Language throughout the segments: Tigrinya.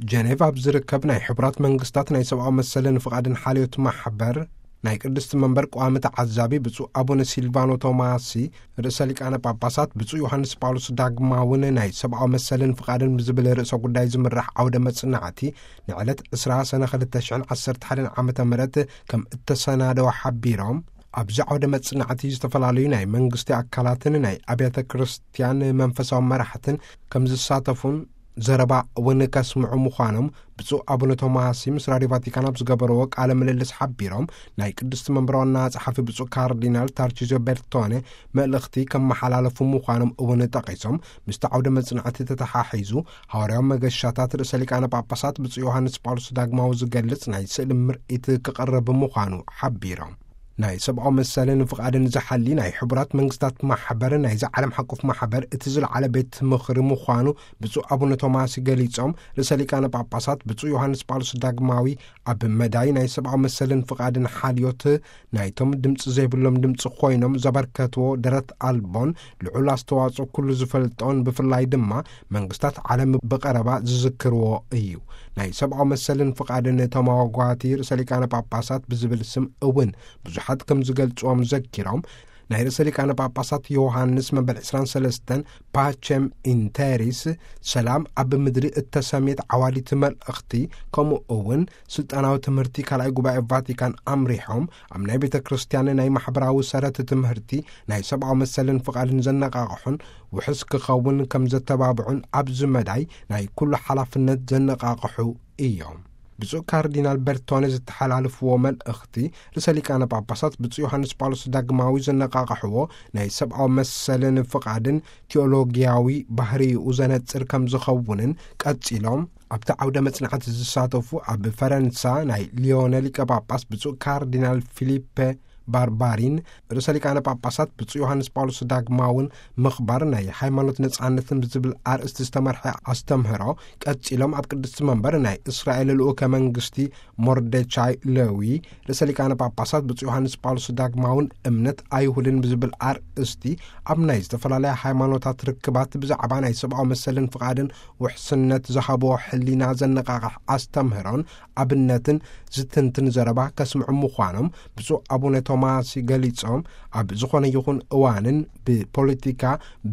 ጀኔቭ ኣብ ዝርከብ ናይ ሕቡራት መንግስታት ናይ ሰብኣዊ መሰልን ፍቓድን ሓልዮት ማሕበር ናይ ቅድስቲ መንበር ቀዋሚ ተዓዛቢ ብፁዕ ኣቡነ ሲልቫኖ ቶማሲ፣ ርእሰ ሊቃነ ጳጳሳት ብፁዕ ዮሃንስ ጳውሎስ ዳግማውን ናይ ሰብኣዊ መሰልን ፍቓድን ብዝብል ርእሰ ጉዳይ ዝምራሕ ዓውደ መጽናዕቲ ንዕለት ዕስራ ሰነ ክልተ ሽሕን ዓሰርተ ሓደን ዓመተ ምህረት ከም እተሰናደወ ሓቢሮም፣ ኣብዚ ዓውደ መጽናዕቲ ዝተፈላለዩ ናይ መንግስቲ ኣካላትን ናይ ኣብያተ ክርስቲያን መንፈሳዊ መራሕትን ከም ዝሳተፉን ዘረባ እውን ከስምዑ ምዃኖም ብፁዕ ኣቡነ ቶማሲ ምስ ራድዮ ቫቲካን ኣብ ዝገበርዎ ቃለ ምልልስ ሓቢሮም፣ ናይ ቅድስቲ መንበር ዋና ጸሓፊ ብፁዕ ካርዲናል ታርቺዚዮ ቤርቶኔ መልእኽቲ ከመሓላለፉ ምዃኖም እውን ጠቒሶም፣ ምስቲ ዓውደ መጽናዕቲ ተተሓሒዙ ሃዋርያዊ መገሻታት ርእሰ ሊቃነ ጳጳሳት ብፁዕ ዮሃንስ ጳውሎስ ዳግማዊ ዝገልጽ ናይ ስእሊ ምርኢት ክቐርብ ምዃኑ ሓቢሮም። ናይ ሰብኣዊ መሰልን ፍቓድን ዝሓሊ ናይ ሕቡራት መንግስታት ማሕበር ናይዚ ዓለም ሓቁፍ ማሕበር እቲ ዝለዓለ ቤት ምኽሪ ምዃኑ ብፁዕ ኣቡነ ቶማስ ገሊጾም፣ ርእሰ ሊቃነ ጳጳሳት ብፁዕ ዮሃንስ ጳውሎስ ዳግማዊ ኣብ መዳይ ናይ ሰብኣዊ መሰልን ፍቓድን ሓልዮት ናይቶም ድምፂ ዘይብሎም ድምፂ ኮይኖም ዘበርከትዎ ደረት ኣልቦን ልዑል ኣስተዋጽኦ ኩሉ ዝፈልጦን ብፍላይ ድማ መንግስታት ዓለም ብቐረባ ዝዝክርዎ እዩ። ናይ ሰብኣዊ መሰልን ፍቓድን ተመዋጓቲ ርእሰ ሊቃነ ጳጳሳት ብዝብል ስም እውን ብዙሓት ከም ዝገልጽዎም ዘኪሮም፣ ናይ ርእሰ ሊቃነ ጳጳሳት ዮሃንስ መበል ዕስራን ሰለስተን ፓቸም ኢንተሪስ፣ ሰላም ኣብ ምድሪ እተሰምየት ዓዋዲት መልእኽቲ፣ ከምኡ እውን ስልጣናዊ ትምህርቲ ካልኣይ ጉባኤ ቫቲካን ኣምሪሖም ኣብ ናይ ቤተ ክርስቲያን ናይ ማሕበራዊ ሰረት ትምህርቲ ናይ ሰብኣዊ መሰልን ፍቓድን ዘነቃቕሑን ውሕስ ክኸውን ከም ዘተባብዑን ኣብዚ መዳይ ናይ ኩሉ ሓላፍነት ዘነቃቕሑ እዮም። ብፁዕ ካርዲናል በርቶነ ዝተሓላለፍዎ መልእኽቲ፣ ርእሰ ሊቃነ ጳጳሳት ብፁዕ ዮሃንስ ጳውሎስ ዳግማዊ ዘነቃቕሕዎ ናይ ሰብኣዊ መሰልን ፍቓድን ቴዎሎጊያዊ ባህሪኡ ዘነጽር ከም ዝኸውንን ቀጺሎም፣ ኣብቲ ዓውደ መጽናዕቲ ዝሳተፉ ኣብ ፈረንሳ ናይ ሊዮነ ሊቀ ጳጳስ ብፁዕ ካርዲናል ፊሊፔ ባርባሪን፣ ርእሰ ሊቃነ ጳጳሳት ብፁዕ ዮሃንስ ጳውሎስ ዳግማውን ምኽባር ናይ ሃይማኖት ነጻነትን ብዝብል ኣርእስቲ ዝተመርሐ ኣስተምህሮ ቀጺሎም፣ ኣብ ቅድስቲ መንበር ናይ እስራኤል ልኡከ መንግስቲ ሞርደቻይ ለዊ፣ ርእሰ ሊቃነ ጳጳሳት ብፁዕ ዮሃንስ ጳውሎስ ዳግማውን እምነት ኣይሁድን ብዝብል ኣርእስቲ ኣብ ናይ ዝተፈላለያ ሃይማኖታት ርክባት ብዛዕባ ናይ ሰብኣዊ መሰልን ፍቓድን ውሕስነት ዝሃብዎ ሕሊና ዘነቃቕሕ ኣስተምህሮን ኣብነትን ዝትንትን ዘረባ ከስምዑ ምዃኖም ብፁዕ ኣቡነ ቶማስ ገሊጾም፣ ኣብ ዝኾነ ይኹን እዋንን ብፖለቲካ፣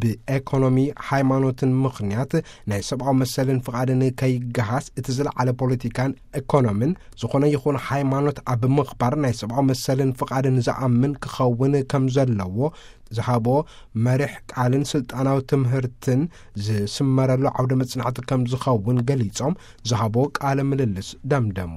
ብኤኮኖሚ፣ ሃይማኖትን ምኽንያት ናይ ሰብኣዊ መሰልን ፍቓድን ከይገሃስ እቲ ዝለዓለ ፖለቲካን ኤኮኖምን ዝኾነ ይኹን ሃይማኖት ኣብ ምኽባር ናይ ሰብኣዊ መሰልን ፍቓድን ዝኣምን ክኸውን ከም ዘለዎ ዝሃቦ መሪሕ ቃልን ስልጣናዊ ትምህርትን ዝስመረሉ ዓውደ መጽናዕቲ ከም ዝኸውን ገሊጾም ዝሃቦ ቃለ ምልልስ ደምደሙ።